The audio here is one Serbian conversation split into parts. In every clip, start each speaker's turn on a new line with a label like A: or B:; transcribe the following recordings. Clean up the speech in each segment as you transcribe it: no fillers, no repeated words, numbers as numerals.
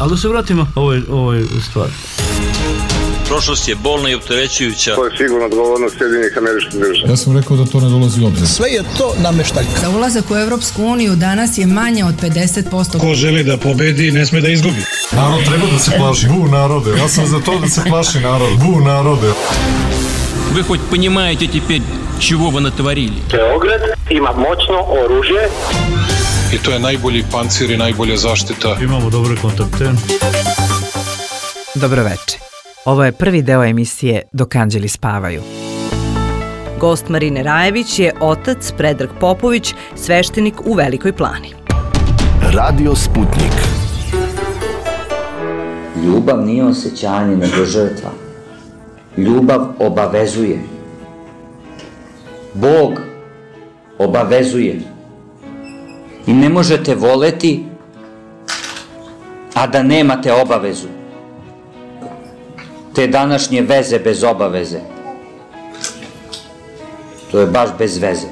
A: Ali da se vratimo ovoj stvari.
B: Prošlost je bolna i opterećujuća.
C: To je sigurno odgovornost Sjedinjenih Američkih Država.
D: Ja sam rekao da to ne dolazi u obzir.
E: Sve je to nameštaljka.
F: Za ulazak u Evropsku uniju danas je manje od 50%.
G: Ko želi da pobedi, ne sme da izgubi.
D: Narod treba da se plaši. Bu narode. Ja sam za to da se plaši narod. Bu narode.
H: Вы хоть понимаете теперь, чего вы натворили?
I: Beograd ima moćno oružje.
G: I to je najbolji pancir i najbolja zaštita.
A: Imamo dobre kontakte.
J: Dobroveče. Ovo je prvi deo emisije Dok anđeli spavaju.
K: Gost Marine Rajević je otac Predrag Popović, sveštenik u Velikoj Plani.
L: Radio Sputnik.
M: Ljubav nije osjećanje nego žrtva. Ljubav obavezuje. Bog obavezuje. I ne možete voleti, a da nemate obavezu. Te današnje veze bez obaveze. To je baš bez veze.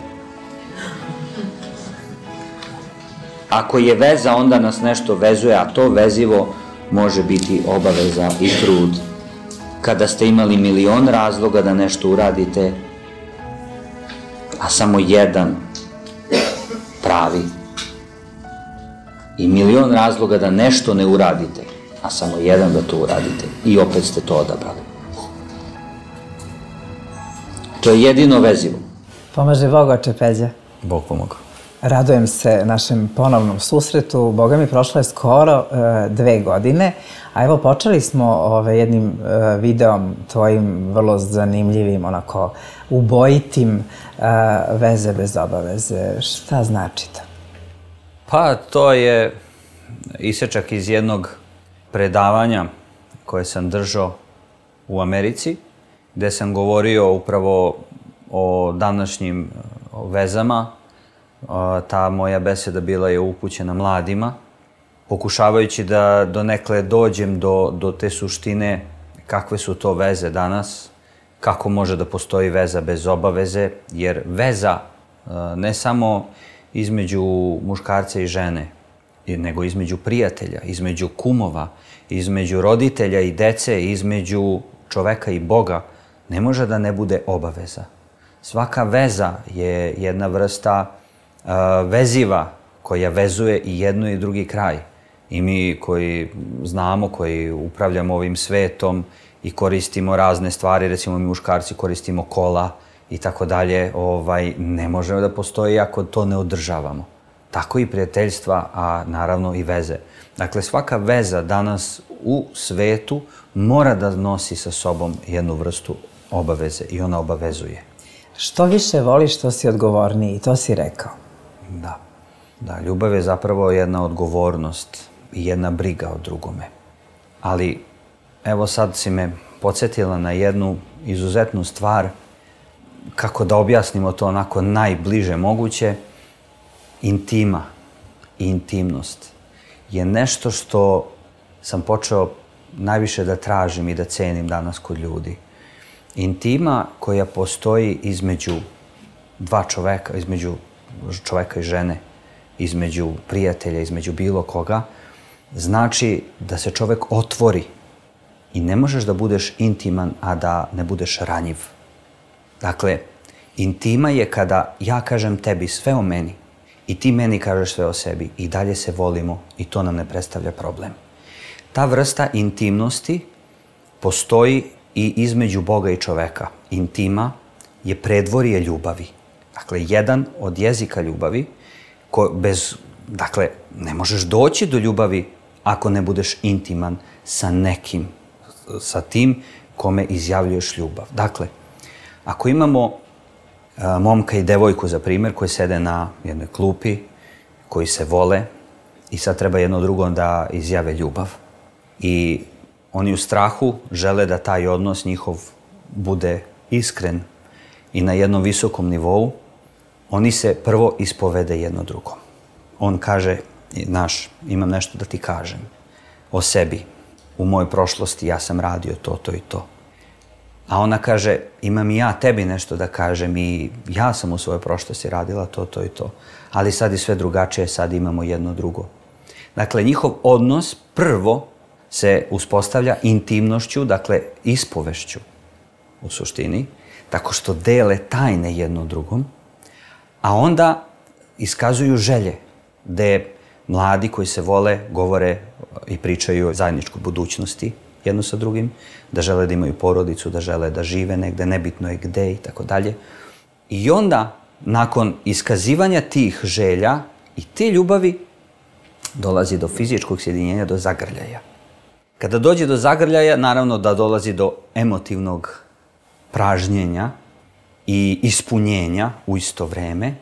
M: Ako je veza, onda nas nešto vezuje, a to vezivo može biti obaveza i trud. Kada ste imali milion razloga da nešto uradite, a samo jedan pravi. I milion razloga da nešto ne uradite, a samo jedan da to uradite. I opet ste to odabrali. To je jedino vezivo.
J: Pomaže Bog, oče Peđa.
M: Bog pomogao.
J: Radujem se našem ponovnom susretu. Boga mi, prošlo je skoro 2 godine, a evo počeli smo jednim videom tvojim vrlo zanimljivim, onako ubojitim, veze bez obaveze. Šta znači to?
M: Pa to je isečak iz jednog predavanja koje sam držao u Americi, gde sam govorio upravo o današnjim vezama. Ta moja beseda bila je upućena mladima, pokušavajući da donekle dođem do te suštine kakve su to veze danas, kako može da postoji veza bez obaveze, jer veza ne samo između muškarca i žene, nego između prijatelja, između kumova, između roditelja i dece, između čoveka i Boga, ne može da ne bude obaveza. Svaka veza je jedna vrsta veziva koja vezuje i jedno i drugi kraj. I mi koji znamo, koji upravljamo ovim svetom i koristimo razne stvari, recimo mi muškarci koristimo kola i tako dalje, ne možemo da postoji ako to ne održavamo. Tako i prijateljstva, a naravno i veze. Dakle, svaka veza danas u svetu mora da nosi sa sobom jednu vrstu obaveze i ona obavezuje.
J: Što više voliš, to si odgovorniji, to si rekao.
M: Da, ljubav je zapravo jedna odgovornost i jedna briga o drugome. Ali, evo sad si me podsjetila na jednu izuzetnu stvar, kako da objasnimo to onako najbliže moguće. Intima i intimnost je nešto što sam počeo najviše da tražim i da cenim danas kod ljudi. Intima koja postoji između dva čoveka, između čoveka i žene, između prijatelja, između bilo koga, znači da se čovek otvori i ne možeš da budeš intiman, a da ne budeš ranjiv. Dakle, intima je kada ja kažem tebi sve o meni i ti meni kažeš sve o sebi i dalje se volimo i to nam ne predstavlja problem. Ta vrsta intimnosti postoji i između Boga i čoveka. Intima je predvorje ljubavi. Dakle, jedan od jezika ljubavi, dakle, ne možeš doći do ljubavi ako ne budeš intiman sa nekim, sa tim kome izjavljuješ ljubav. Dakle, ako imamo momka i devojku, za primjer, koji sede na jednoj klupi, koji se vole i sad treba jedno drugom da izjave ljubav. I oni u strahu žele da taj odnos njihov bude iskren i na jednom visokom nivou. Oni se prvo ispovede jedno drugom. On kaže, imam nešto da ti kažem o sebi. U mojoj prošlosti ja sam radio to i to. A ona kaže, imam i ja tebi nešto da kažem i ja sam u svojoj prošlosti radila to i to. Ali sad je sve drugačije, sad imamo jedno drugo. Dakle, njihov odnos prvo se uspostavlja intimnošću, dakle, ispovešću u suštini, tako što dele tajne jedno drugom, a onda iskazuju želje, gde mladi koji se vole govore i pričaju o zajedničkoj budućnosti jedno sa drugim, da žele da imaju porodicu, da žele da žive negde, nebitno je gde i tako dalje. I onda, nakon iskazivanja tih želja i te ljubavi, dolazi do fizičkog sjedinjenja, do zagrljaja. Kada dođe do zagrljaja, naravno da dolazi do emotivnog pražnjenja i ispunjenja u isto vreme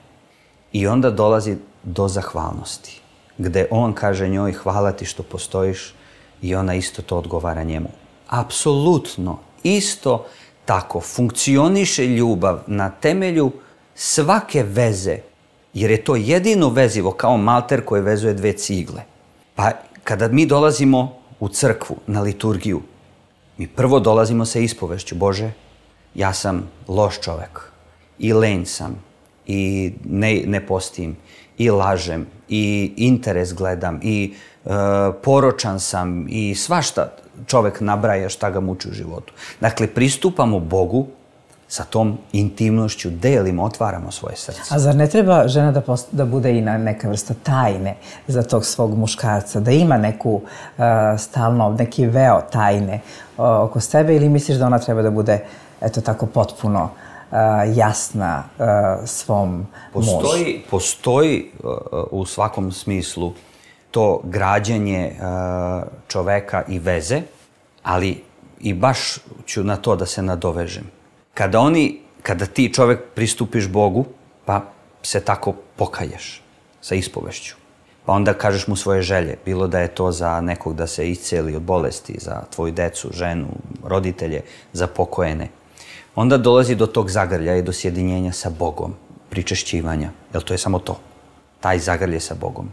M: i onda dolazi do zahvalnosti, gde on kaže njoj hvala ti što postojiš i ona isto to odgovara njemu. Apsolutno, isto tako funkcioniše ljubav na temelju svake veze, jer je to jedino vezivo kao malter koje vezuje dve cigle. Pa kada mi dolazimo u crkvu, na liturgiju, mi prvo dolazimo sa ispovešću, Bože, ja sam loš čovek i lenj sam i ne postim i lažem i interes gledam i poročan sam i svašta čovek nabraja šta ga muči u životu. Dakle, pristupamo Bogu sa tom intimnošću, delimo, otvaramo svoje srce.
J: A zar ne treba žena da bude i neka vrsta tajne za tog svog muškarca, da ima neku stalno, neki veo tajne oko sebe ili misliš da ona treba da bude, eto tako, potpuno jasna svom mužu?
M: Postoji u svakom smislu to građenje čoveka i veze, ali i baš ću na to da se nadovežem. Kada ti čovek pristupiš Bogu, pa se tako pokaješ sa ispovešću, pa onda kažeš mu svoje želje, bilo da je to za nekog da se isceli od bolesti, za tvoju decu, ženu, roditelje, za pokojene, onda dolazi do tog zagrljaja i do sjedinjenja sa Bogom, pričešćivanja, jer to je samo to, taj zagrlje sa Bogom.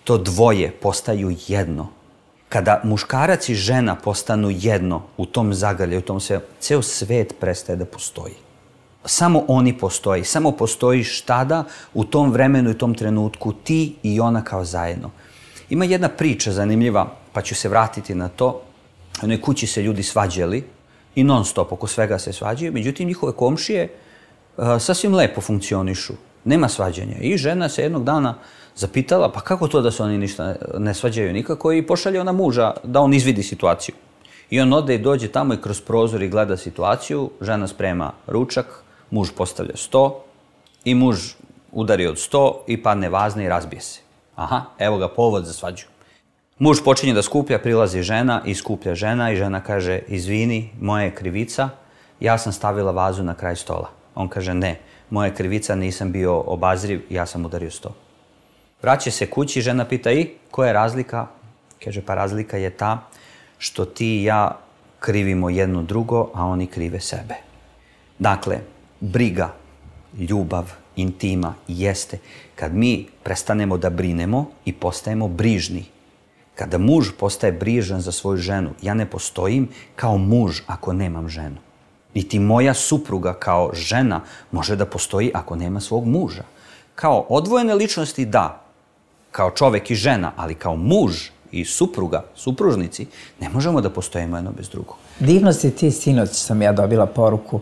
M: To dvoje postaju jedno. Kada muškarac i žena postanu jedno u tom zagrljaju, ceo svet prestaje da postoji. Samo oni postoji, samo postojiš tada, u tom vremenu i tom trenutku, ti i ona kao zajedno. Ima jedna priča zanimljiva, pa ću se vratiti na to. U jednoj kući se ljudi svađali i non stop oko svega se svađaju, međutim njihove komšije sasvim lepo funkcionišu, nema svađanja. I žena se jednog dana zapitala, pa kako to da se oni ništa ne svađaju nikako, i pošalje ona muža da on izvidi situaciju. I on ode i dođe tamo i kroz prozor i gleda situaciju, žena sprema ručak, muž postavlja sto i muž udari od 100 i padne vazne i razbije se. Aha, evo ga povod za svađu. Muž počinje da skuplja, prilazi žena i skuplja žena i žena kaže, izvini, moja je krivica, ja sam stavila vazu na kraj stola. On kaže, ne, moja je krivica, nisam bio obazriv, ja sam udario 100. Vraća se kući, žena pita, i koja je razlika? Kaže, pa razlika je ta što ti i ja krivimo jedno drugo, a oni krive sebe. Dakle, briga, ljubav, intima jeste kad mi prestanemo da brinemo i postajemo brižni. Kada muž postaje brižan za svoju ženu, ja ne postojim kao muž ako nemam ženu. Niti moja supruga kao žena može da postoji ako nema svog muža. Kao odvojene ličnosti da, kao čovek i žena, ali kao muž i supruga, supružnici, ne možemo da postojimo jedno bez drugog.
J: Divno si ti, sinoć sam ja dobila poruku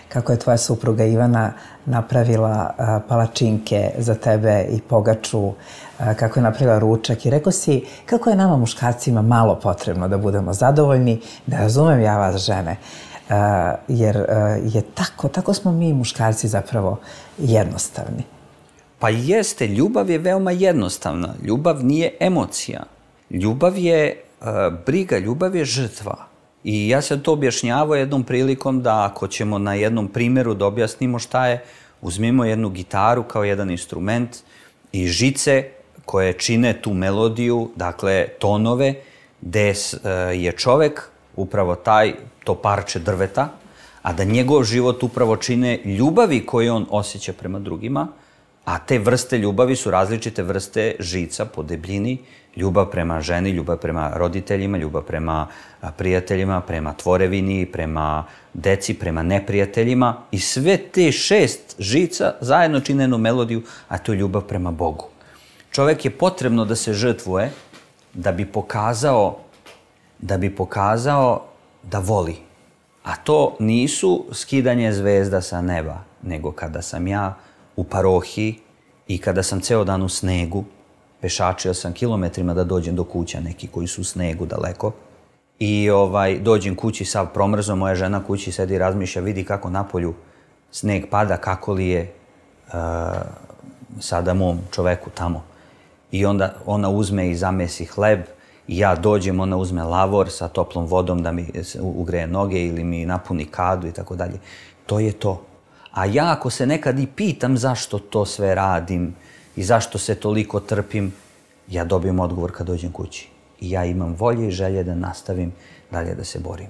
J: kako je tvoja supruga Ivana napravila palačinke za tebe i pogaču, kako je napravila ručak i rekao si kako je nama muškarcima malo potrebno da budemo zadovoljni, da razumem ja vas žene, jer je tako smo mi muškarci zapravo jednostavni.
M: Pa jeste, ljubav je veoma jednostavna. Ljubav nije emocija. Ljubav je briga, ljubav je žrtva. I ja sam to objašnjavao jednom prilikom da ako ćemo na jednom primjeru da objasnimo šta je, uzmimo jednu gitaru kao jedan instrument i žice koje čine tu melodiju, dakle tonove, gde je čovek upravo to parče drveta, a da njegov život upravo čine ljubavi koje on osjeća prema drugima, a te vrste ljubavi su različite vrste žica po debljini, ljubav prema ženi, ljubav prema roditeljima, ljubav prema prijateljima, prema tvorevini, prema deci, prema neprijateljima. I sve te 6 žica zajedno čine jednu melodiju, a to je ljubav prema Bogu. Čovek je potrebno da se žrtvuje da bi pokazao da voli. A to nisu skidanje zvezda sa neba, nego kada sam ja u parohiji i kada sam ceo dan u snegu, pešačio sam kilometrima da dođem do kuća, neki koji su u snegu daleko, i dođem kući sav promrzo, moja žena kući sedi i razmišlja, vidi kako napolju sneg pada, kako li je sada mom čoveku tamo. I onda ona uzme i zamesi hleb, i ja dođem, ona uzme lavor sa toplom vodom da mi ugreje noge ili mi napuni kadu i tako dalje. To je to. A ja ako se nekad i pitam zašto to sve radim i zašto se toliko trpim, ja dobijem odgovor kad dođem kući. I ja imam volje i želje da nastavim dalje da se borim.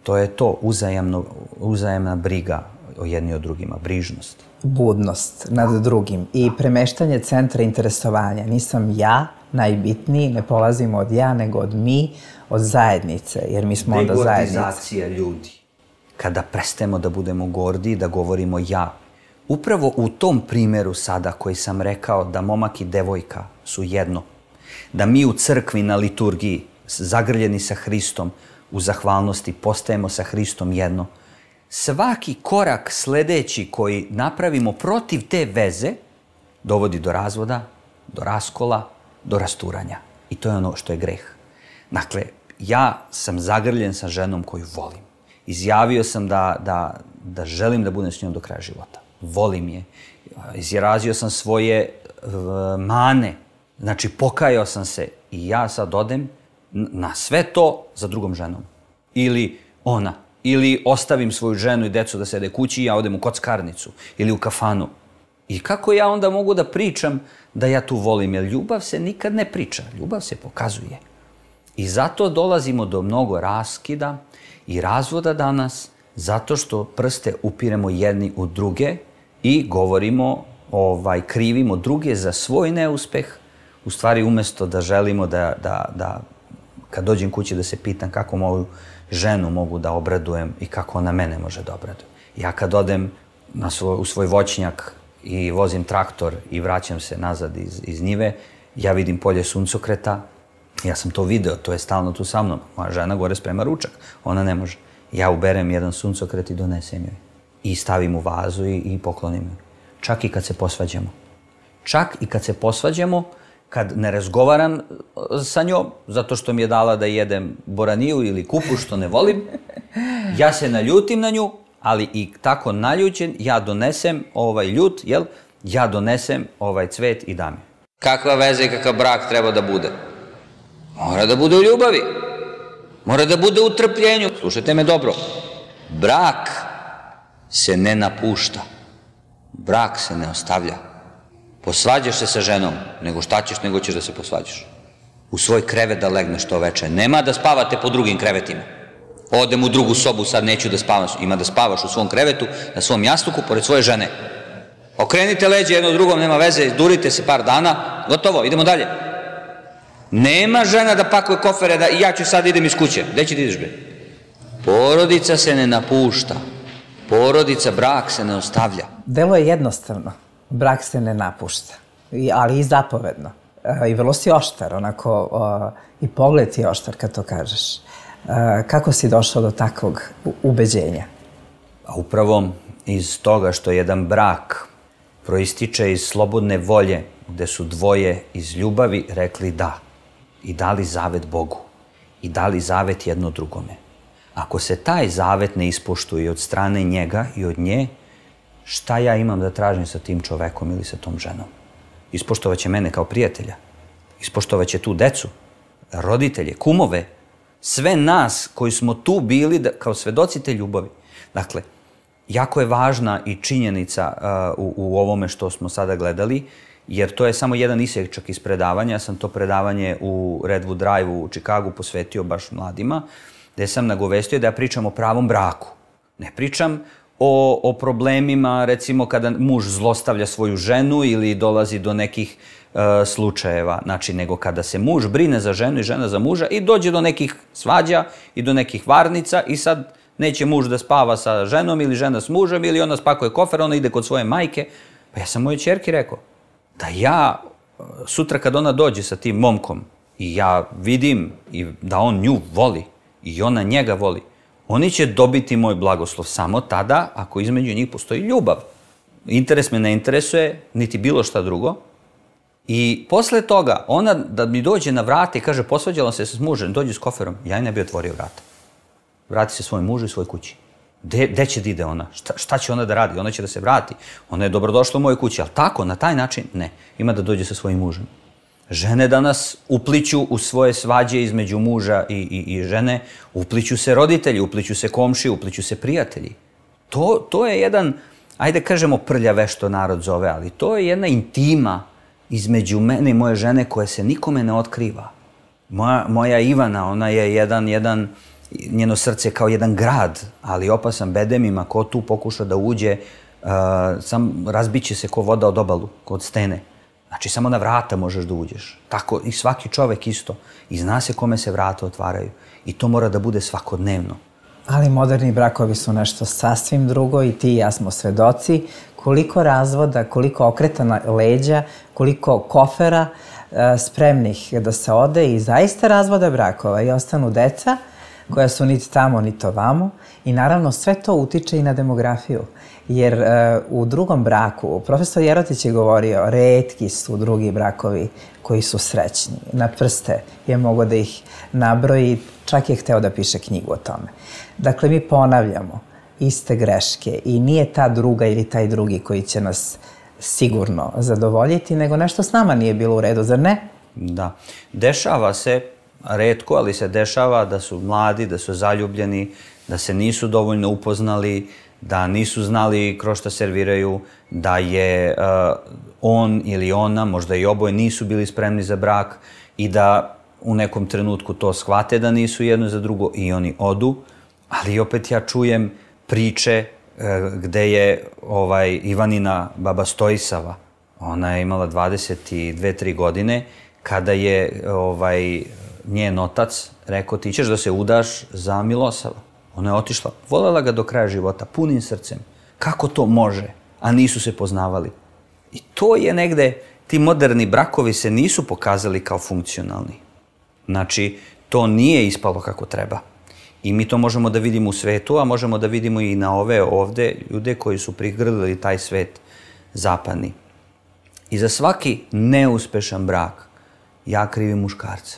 M: To je to, uzajamna briga o jedni o drugima, brižnost.
J: Budnost nad drugim i premeštanje centra interesovanja. Nisam ja najbitniji, ne polazimo od ja, nego od mi, od zajednice, jer mi smo onda zajednica.
M: Degordizacija ljudi. Kada prestajemo da budemo gordi, da govorimo ja. Upravo u tom primjeru sada koji sam rekao da momak i devojka su jedno, da mi u crkvi na liturgiji, zagrljeni sa Hristom, u zahvalnosti postajemo sa Hristom jedno. Svaki korak sledeći koji napravimo protiv te veze dovodi do razvoda, do raskola, do rasturanja. I to je ono što je greh. Dakle, ja sam zagrljen sa ženom koju volim. Izjavio sam da želim da budem s njom do kraja života. Volim je. Izrazio sam svoje mane. Znači, pokajao sam se i ja sad odem na sve to za drugom ženom. Ili ona. Ili ostavim svoju ženu i decu da sede kući i ja odem u kockarnicu ili u kafanu. I kako ja onda mogu da pričam da ja tu volim? Jer ljubav se nikad ne priča, ljubav se pokazuje. I zato dolazimo do mnogo raskida i razvoda danas, zato što prste upiremo jedni u druge i govorimo, krivimo druge za svoj neuspeh, u stvari umesto da želimo da kad dođem kući da se pitam kako moju ženu mogu da obradujem i kako ona mene može da obraduje. Ja kad odem u svoj voćnjak i vozim traktor i vraćam se nazad iz njive, ja vidim polje suncokreta, ja sam to video, to je stalno tu sa mnom. Moja žena gore sprema ručak, ona ne može. Ja uberem jedan suncokret i donesem joj. I stavim u vazu i poklonim joj. Čak i kad se posvađamo. Čak i kad se posvađamo, kad ne razgovaram sa njom, zato što mi je dala da jedem boraniju ili kupu što ne volim, ja se naljutim na nju, ali i tako naljućen, ja donesem ljut, ja donesem cvet i dam je. Kakva veza i kakav brak treba da bude? Mora da bude u ljubavi. Mora da bude u trpljenju. Slušajte me dobro. Brak se ne napušta. Brak se ne ostavlja. Posvađaš se sa ženom, nego šta ćeš, nego ćeš da se posvađaš. U svoj krevet da legneš to veče. Nema da spavate po drugim krevetima. Odem u drugu sobu, sad neću da spavam. Ima da spavaš u svom krevetu, na svom jastuku, pored svoje žene. Okrenite leđe jedno drugom, nema veze, durite se par dana, gotovo, idemo dalje. Nema žena da pakuje kofere, da ja ću sad idem iz kuće. Gde će ti ideš, bre? Porodica se ne napušta. Porodica, brak se ne ostavlja.
J: Delo je jednostavno. Brak se ne napušta, ali i zapovedno. I vrlo si oštar, onako, i pogled ti je oštar kad to kažeš. Kako si došao do takvog ubeđenja?
M: Upravo iz toga što jedan brak proističe iz slobodne volje, gde su dvoje iz ljubavi rekli da i dali zavet Bogu i dali zavet jedno drugome. Ako se taj zavet ne ispoštuje od strane njega i od nje, šta ja imam da tražim sa tim čovekom ili sa tom ženom? Ispoštovaće mene kao prijatelja, ispoštovaće tu decu, roditelje, kumove, sve nas koji smo tu bili kao svedoci te ljubavi. Dakle, jako je važna i činjenica u ovome što smo sada gledali, jer to je samo jedan isječak iz predavanja. Ja sam to predavanje u Redwood Drive-u u Čikagu posvetio baš mladima, gde sam nagovestio da ja pričam o pravom braku. Ne pričam o problemima, recimo, kada muž zlostavlja svoju ženu ili dolazi do nekih slučajeva, znači, nego kada se muž brine za ženu i žena za muža i dođe do nekih svađa i do nekih varnica i sad neće muž da spava sa ženom ili žena s mužem ili ona spakuje kofer, ona ide kod svoje majke. Pa ja sam mojoj ćerki rekao da ja sutra kad ona dođe sa tim momkom i ja vidim i da on nju voli i ona njega voli, oni će dobiti moj blagoslov samo tada ako između njih postoji ljubav. Interes me ne interesuje, niti bilo šta drugo. I posle toga, ona da mi dođe na vrata i kaže posvađala se s mužem, dođe s koferom, ja i ne bi otvorio vrata. Vrati se svojom mužu i svoj kući. Gde će da ide ona? Šta će ona da radi? Ona će da se vrati. Ona je dobrodošla u mojoj kući, ali tako, na taj način, ne. Ima da dođe sa svojim mužem. Žene danas upliću u svoje svađe između muža i žene, upliću se roditelji, upliću se komši, upliću se prijatelji. To je jedan, ajde kažemo prljave što narod zove, ali to je jedna intima između mene i moje žene koja se nikome ne otkriva. Moja Ivana, ona je jedan njeno srce kao jedan grad, ali opasan bedemima, ko tu pokuša da uđe, sam razbiće se ko voda od obalu, od stene. Znači, samo na vrata možeš da uđeš. Tako i svaki čovek isto. I zna se kome se vrata otvaraju. I to mora da bude svakodnevno.
J: Ali moderni brakovi su nešto sasvim drugo i ti i ja smo svedoci. Koliko razvoda, koliko okretana leđa, koliko kofera spremnih da se ode i zaista razvoda brakova i ostanu deca koja su niti tamo, niti ovamo. I naravno sve to utiče i na demografiju. Jer u drugom braku, profesor Jerotić je govorio, retki su drugi brakovi koji su srećni. Na prste je mogo da ih nabroji, čak je hteo da piše knjigu o tome. Dakle, mi ponavljamo iste greške i nije ta druga ili taj drugi koji će nas sigurno zadovoljiti, nego nešto s nama nije bilo u redu, zar ne?
M: Da. Dešava se, retko, ali se dešava da su mladi, da su zaljubljeni, da se nisu dovoljno upoznali, da nisu znali kroz šta serviraju, da je on ili ona, možda i oboje, nisu bili spremni za brak i da u nekom trenutku to shvate da nisu jedno za drugo i oni odu. Ali opet ja čujem priče gde je Ivanina baba Stojisava, ona je imala 22-3 godine, kada je njen otac rekao ti ćeš da se udaš za Milosava. Ona je otišla, volela ga do kraja života, punim srcem. Kako to može? A nisu se poznavali. I to je negde, ti moderni brakovi se nisu pokazali kao funkcionalni. Znači, to nije ispalo kako treba. I mi to možemo da vidimo u svetu, a možemo da vidimo i na ove ovde ljude koji su prigrlili taj svet zapadni. I za svaki neuspešan brak ja krivim muškarca.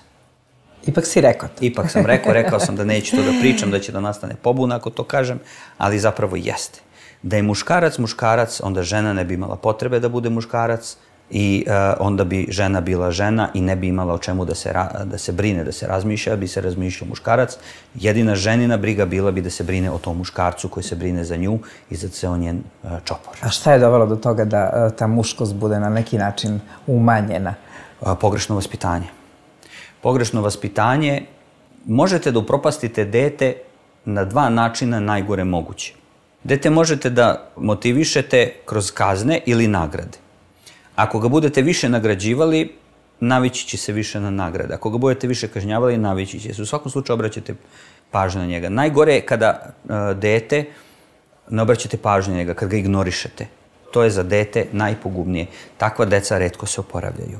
J: Ipak si rekao to.
M: Ipak sam rekao sam da neću to da pričam, da će da nastane pobuna ako to kažem, ali zapravo jeste. Da je muškarac, onda žena ne bi imala potrebe da bude muškarac i onda bi žena bila žena i ne bi imala o čemu da se brine, da se razmišlja, bi se razmišljao muškarac. Jedina ženina briga bila bi da se brine o tom muškarcu koji se brine za nju i za ceo njen čopor.
J: A šta je dovelo do toga da ta muškost bude na neki način umanjena?
M: Pogrešno vaspitanje. Pogrešno vaspitanje, možete da upropastite dete na dva načina najgore moguće. Dete možete da motivišete kroz kazne ili nagrade. Ako ga budete više nagrađivali, navići će se više na nagrade. Ako ga budete više kažnjavali, navići će se. U svakom slučaju obraćate pažnju na njega. Najgore je kada dete ne obraćate pažnju na njega, kad ga ignorišete. To je za dete najpogubnije. Takva deca retko se oporavljaju.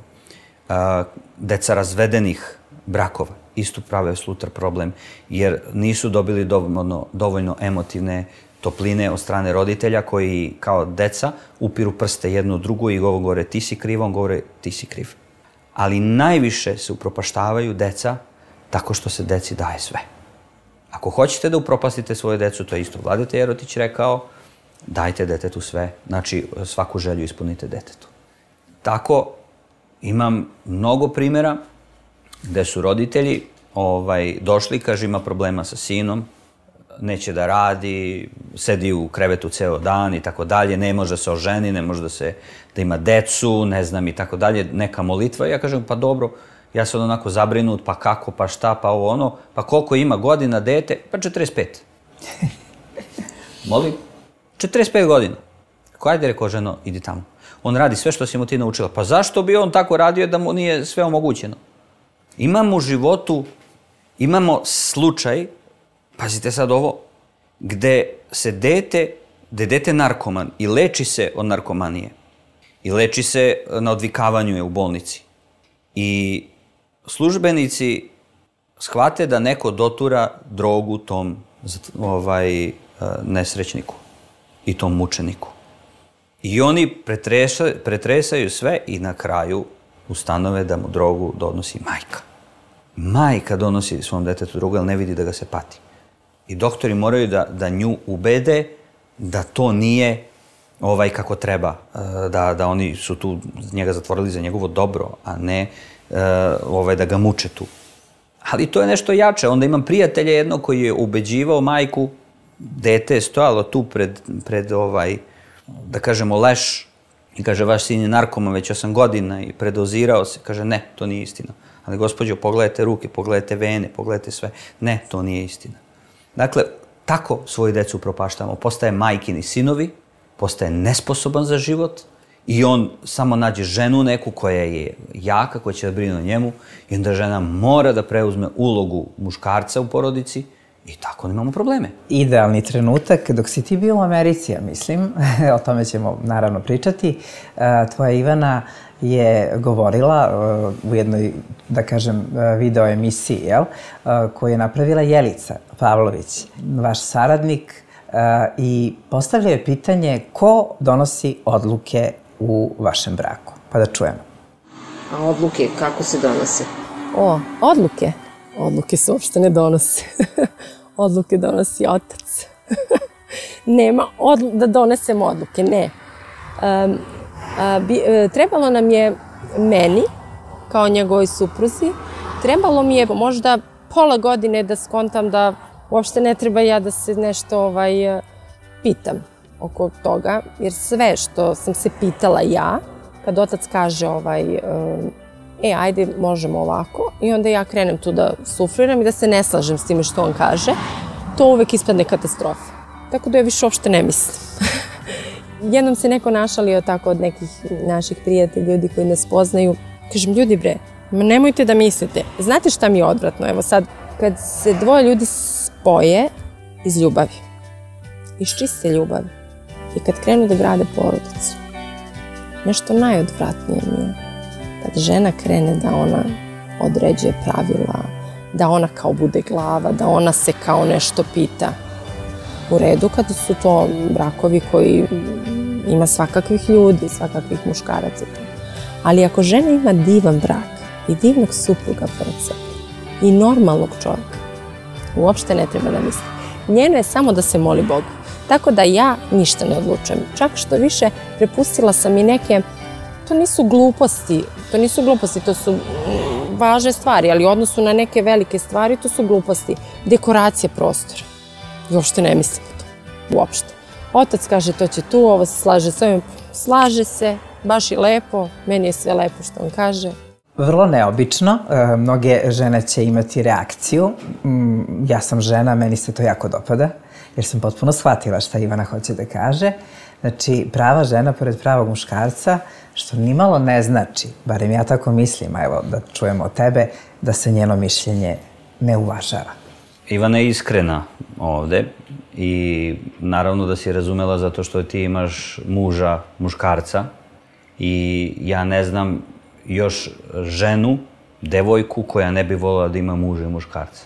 M: Deca razvedenih brakova isto prave sutra problem, jer nisu dobili dovoljno emotivne topline od strane roditelja koji kao deca upiru prste jedno drugo i govore ti si kriv, on govore ti si kriv. Ali najviše se upropaštavaju deca tako što se deci daje sve. Ako hoćete da upropastite svoju decu, to je isto Vladeta Jerotić rekao, dajte detetu sve, znači svaku želju ispunite detetu. Tako imam mnogo primjera gde su roditelji došli, kaže ima problema sa sinom, neće da radi, sedi u krevetu ceo dan i tako dalje, ne može da se oženi, ne može da ima decu, ne znam i tako dalje, neka molitva. Ja kažem, pa dobro, ja sam onako zabrinut, pa kako, pa šta, pa ovo ono, pa koliko ima godina dete, pa 45. Molim, 45 godina. Ajde, rekao ženo, idi tamo. On radi sve što si mu ti naučila. Pa zašto bi on tako radio da mu nije sve omogućeno? Imamo u životu, imamo slučaj, pazite sad ovo, gde dete narkoman i leči se od narkomanije. i leči se na odvikavanju je u bolnici. I službenici shvate da neko dotura drogu tom nesrećniku i tom mučeniku. I oni pretresaju sve i na kraju ustanove da mu drogu donosi majka. Majka donosi svom detetu drogu, jer ne vidi da ga se pati. I doktori moraju da nju ubede da to nije kako treba, da oni su tu njega zatvorili za njegovo dobro, a ne da ga muče tu. Ali to je nešto jače. Onda imam prijatelja jednog koji je ubeđivao majku, dete je stojalo tu pred da kažemo, leš, i kaže, vaš sin je narkoman već 8 godina i predozirao se. Kaže, ne, to nije istina. Ali, gospođo, pogledajte ruke, pogledajte vene, pogledajte sve. Ne, to nije istina. Dakle, tako svoju decu upropaštamo. Postaje majkini sinovi, postaje nesposoban za život i on samo nađe ženu neku koja je jaka, koja će da brine o njemu i onda žena mora da preuzme ulogu muškarca u porodici i tako imamo probleme.
J: Idealni trenutak dok si ti bio u Americi, ja mislim, o tome ćemo naravno pričati, tvoja Ivana je govorila u jednoj, da kažem, video emisiji, koju je napravila Jelica Pavlović, vaš saradnik, i postavlja je pitanje ko donosi odluke u vašem braku. Pa da čujemo.
E: A odluke kako se donose?
N: Odluke? Odluke se uopšte ne donose. Odluke donosi otac. Nema da donesemo odluke, ne. Trebalo nam je meni, kao njegovoj supruzi, trebalo mi je možda pola godine da skontam da uopšte ne treba ja da se nešto pitam oko toga, jer sve što sam se pitala ja, kad otac kaže ajde, možemo ovako, i onda ja krenem tu da sufliram i da se ne slažem s time što on kaže, to uvek ispadne katastrofa. Tako da ja više uopšte ne mislim. Jednom se neko našalio tako od nekih naših prijatelja, ljudi koji nas poznaju. Kažem, ljudi bre, nemojte da mislite. Znate šta mi je odvratno? Evo sad, kad se dvoje ljudi spoje iz ljubavi, iz čiste ljubavi, i kad krenu da grade porodicu, nešto najodvratnije mi je kad žena krene da ona određuje pravila, da ona kao bude glava, da ona se kao nešto pita. U redu kada su to brakovi koji ima svakakvih ljudi, svakakvih muškaraca. Ali ako žena ima divan brak i divnog supruga pored sebe i normalnog čovjeka, uopšte ne treba da misli. Njeno je samo da se moli Bogu. Tako da ja ništa ne odlučujem. Čak što više, prepustila sam i neke, to nisu gluposti, to su važne stvari, ali u odnosu na neke velike stvari, to su gluposti. Dekoracija prostora. I uopšte ne mislim o to. Uopšte. Otac kaže to će tu, ovo se slaže s ovim. Slaže se, baš i lepo, meni je sve lepo što on kaže.
J: Vrlo neobično, mnoge žene će imati reakciju. Ja sam žena, meni se to jako dopada, jer sam potpuno shvatila šta Ivana hoće da kaže. Znači, prava žena pored pravog muškarca, što nimalo ne znači, barem ja tako mislim, a evo da čujemo od tebe, da se njeno mišljenje ne uvažava.
M: Ivana je iskrena ovde i naravno da si razumela zato što ti imaš muža, muškarca, i ja ne znam još ženu, devojku koja ne bi voljela da ima muža i muškarca.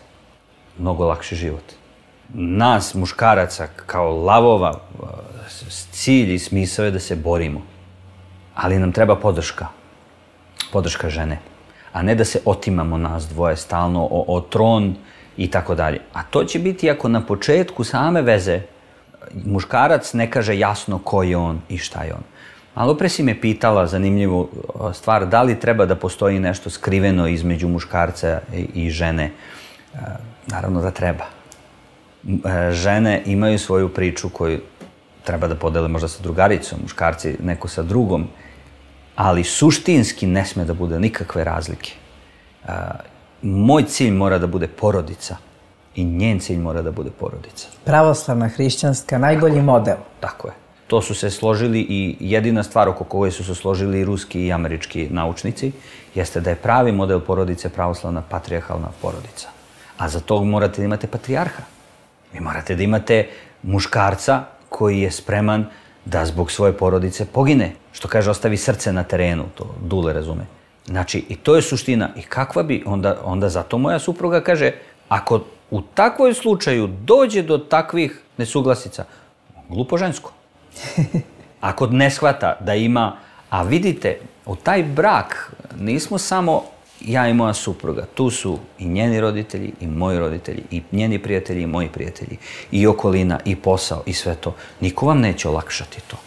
M: Mnogo lakši život. Nas, muškaraca, kao lavova, cilj i smisao je da se borimo. Ali nam treba podrška. Podrška žene. A ne da se otimamo nas dvoje stalno o tron i tako dalje. A to će biti ako na početku same veze muškarac ne kaže jasno ko je on i šta je on. Malo pre si me pitala zanimljivu stvar, da li treba da postoji nešto skriveno između muškarca i žene. Naravno da treba. Žene imaju svoju priču koju treba da podele možda sa drugaricom, muškarci neko sa drugom, ali suštinski ne sme da bude nikakve razlike. Moj cilj mora da bude porodica i njen cilj mora da bude porodica.
J: Pravoslavna, hrišćanska, najbolji model.
M: Tako je. To su se složili i jedina stvar oko koje su se složili i ruski i američki naučnici jeste da je pravi model porodice pravoslavna patrijarhalna porodica. A za to morate da imate patrijarha. Vi morate da imate muškarca koji je spreman da zbog svoje porodice pogine. Što kaže, ostavi srce na terenu, to Dule razume. Znači, i to je suština. I kakva bi, onda zato moja supruga kaže, ako u takvoj slučaju dođe do takvih nesuglasica, glupo žensko. Ako ne shvata da ima, a vidite, u taj brak nismo samo ja i moja supruga, tu su i njeni roditelji, i moji roditelji, i njeni prijatelji, i moji prijatelji, i okolina, i posao, i sve to. Niko vam neće olakšati to.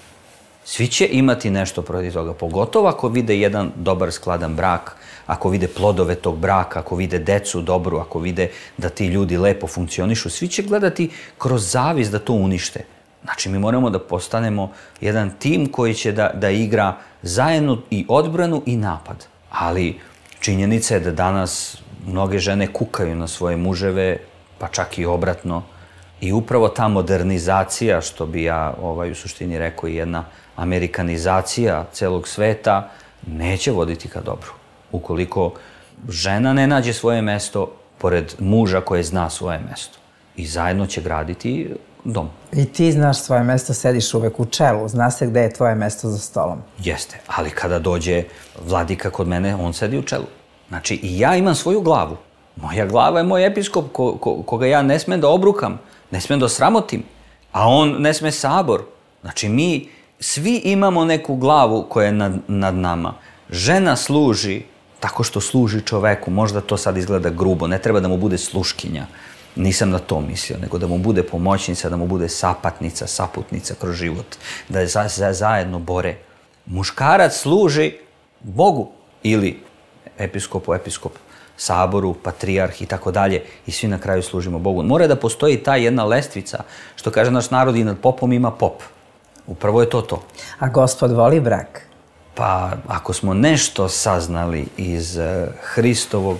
M: Svi će imati nešto protiv toga, pogotovo ako vide jedan dobar, skladan brak, ako vide plodove tog braka, ako vide decu dobru, ako vide da ti ljudi lepo funkcionišu, svi će gledati kroz zavist da to unište. Znači, mi moramo da postanemo jedan tim koji će da igra zajedno i odbranu i napad. Ali činjenica je da danas mnoge žene kukaju na svoje muževe, pa čak i obratno. I upravo ta modernizacija, što bi ja u suštini rekao, i jedna amerikanizacija celog sveta, neće voditi ka dobru. Ukoliko žena ne nađe svoje mesto pored muža koje zna svoje mesto. I zajedno će graditi dom.
J: I ti znaš svoje mesto, sediš uvek u čelu, zna se gde je tvoje mesto za stolom.
M: Jeste, ali kada dođe vladika kod mene, on sedi u čelu. Znači, i ja imam svoju glavu. Moja glava je moj episkop koga ja ne smem da obrukam, ne smem da sramotim, a on ne sme sabor. Znači, mi svi imamo neku glavu koja je nad nama. Žena služi tako što služi čoveku, možda to sad izgleda grubo, ne treba da mu bude sluškinja. Nisam na to mislio, nego da mu bude pomoćnica, da mu bude sapatnica, saputnica kroz život, da se zajedno bore. Muškarac služi Bogu ili episkop, saboru, patrijarh i tako dalje i svi na kraju služimo Bogu. Mora da postoji ta jedna lestvica, što kaže naš narod, i nad popom ima pop. Upravo je to.
J: A Gospod voli brak?
M: Pa, ako smo nešto saznali iz Hristovog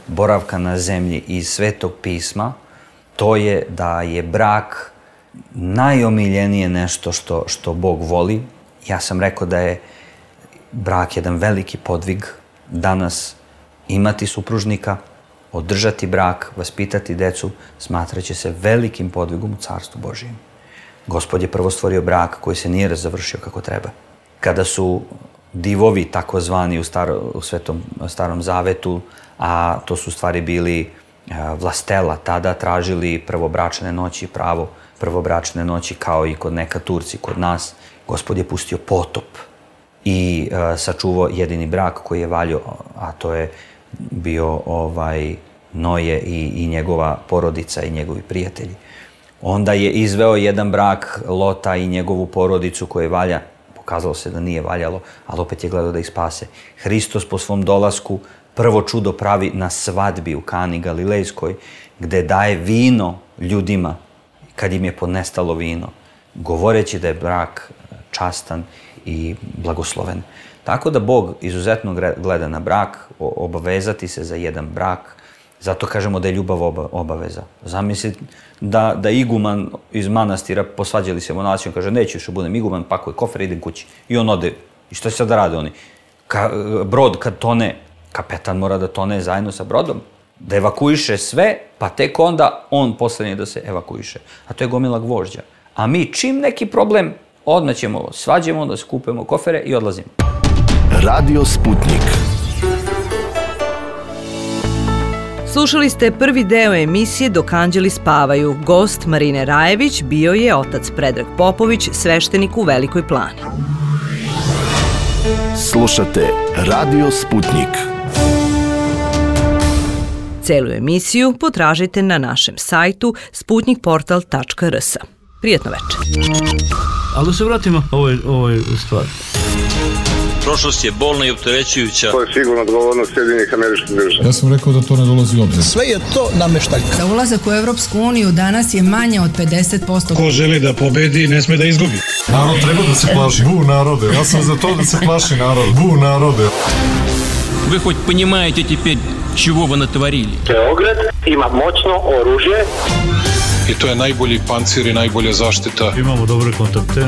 M: boravka na zemlji iz Svetog pisma, to je da je brak najomiljenije nešto što Bog voli. Ja sam rekao da je brak jedan veliki podvig. Danas imati supružnika, održati brak, vaspitati decu, smatraće se velikim podvigom u Carstvu Božijem. Gospod je prvo stvorio brak koji se nije završio kako treba. Kada su divovi, takozvani u Svetom Starom Zavetu, a to su stvari bili vlastela, tada tražili prvobračne noći, pravo prvobračne noći, kao i kod neka Turci, kod nas, Gospod je pustio potop i sačuvao jedini brak koji je valjao, a to je bio Noje i njegova porodica i njegovi prijatelji. Onda je izveo jedan brak Lota i njegovu porodicu koje valja. Pokazalo se da nije valjalo, ali opet je gledao da ih spase. Hristos po svom dolasku prvo čudo pravi na svadbi u Kani Galilejskoj, gde daje vino ljudima kad im je ponestalo vino, govoreći da je brak častan i blagosloven. Tako da Bog izuzetno gleda na brak, obavezati se za jedan brak, zato kažemo da je ljubav obaveza. Zamisli da iguman iz manastira, posvađali se monasijom, kaže neću još budem iguman, pakuje kofer, idem kući. I on ode. I što će sad da rade oni? Brod kad tone, kapetan mora da tone zajedno sa brodom, da evakuiše sve, pa tek onda on poslednji da se evakuiše. A to je gomila gvožđa. A mi čim neki problem, odmah ćemo svađemo, da skupimo kofere i odlazimo.
L: Radio Sputnik.
K: Slušali ste prvi deo emisije Dok anđeli spavaju. Gost Marine Rajević bio je otac Predrag Popović, sveštenik u Velikoj Plani.
L: Slušate Radio Sputnik.
K: Celu emisiju potražite na našem sajtu sputnikportal.rs. Prijetno večer.
A: Ali da se vratimo ovoj stvari.
B: Prošlost je bolna i opterećujuća.
C: To je sigurno odgovornost Sjedinjenih Američkih Država.
D: Ja sam rekao da to ne dolazi u obzir.
F: Sve je to nameštaljka. Za ulazak u Evropsku uniju danas je manje od 50%.
G: Ko želi da pobedi, ne sme da izgubi.
D: Narod treba da se plaši. Bu narode. Ja sam za to da se plaši narod. Bu narode.
H: Вы хоть понимаете теперь, чего вы натворили?
I: Beograd ima moćno oružje.
G: I to je najbolji pancir i najbolja zaštita.
A: Imamo dobre kontakte.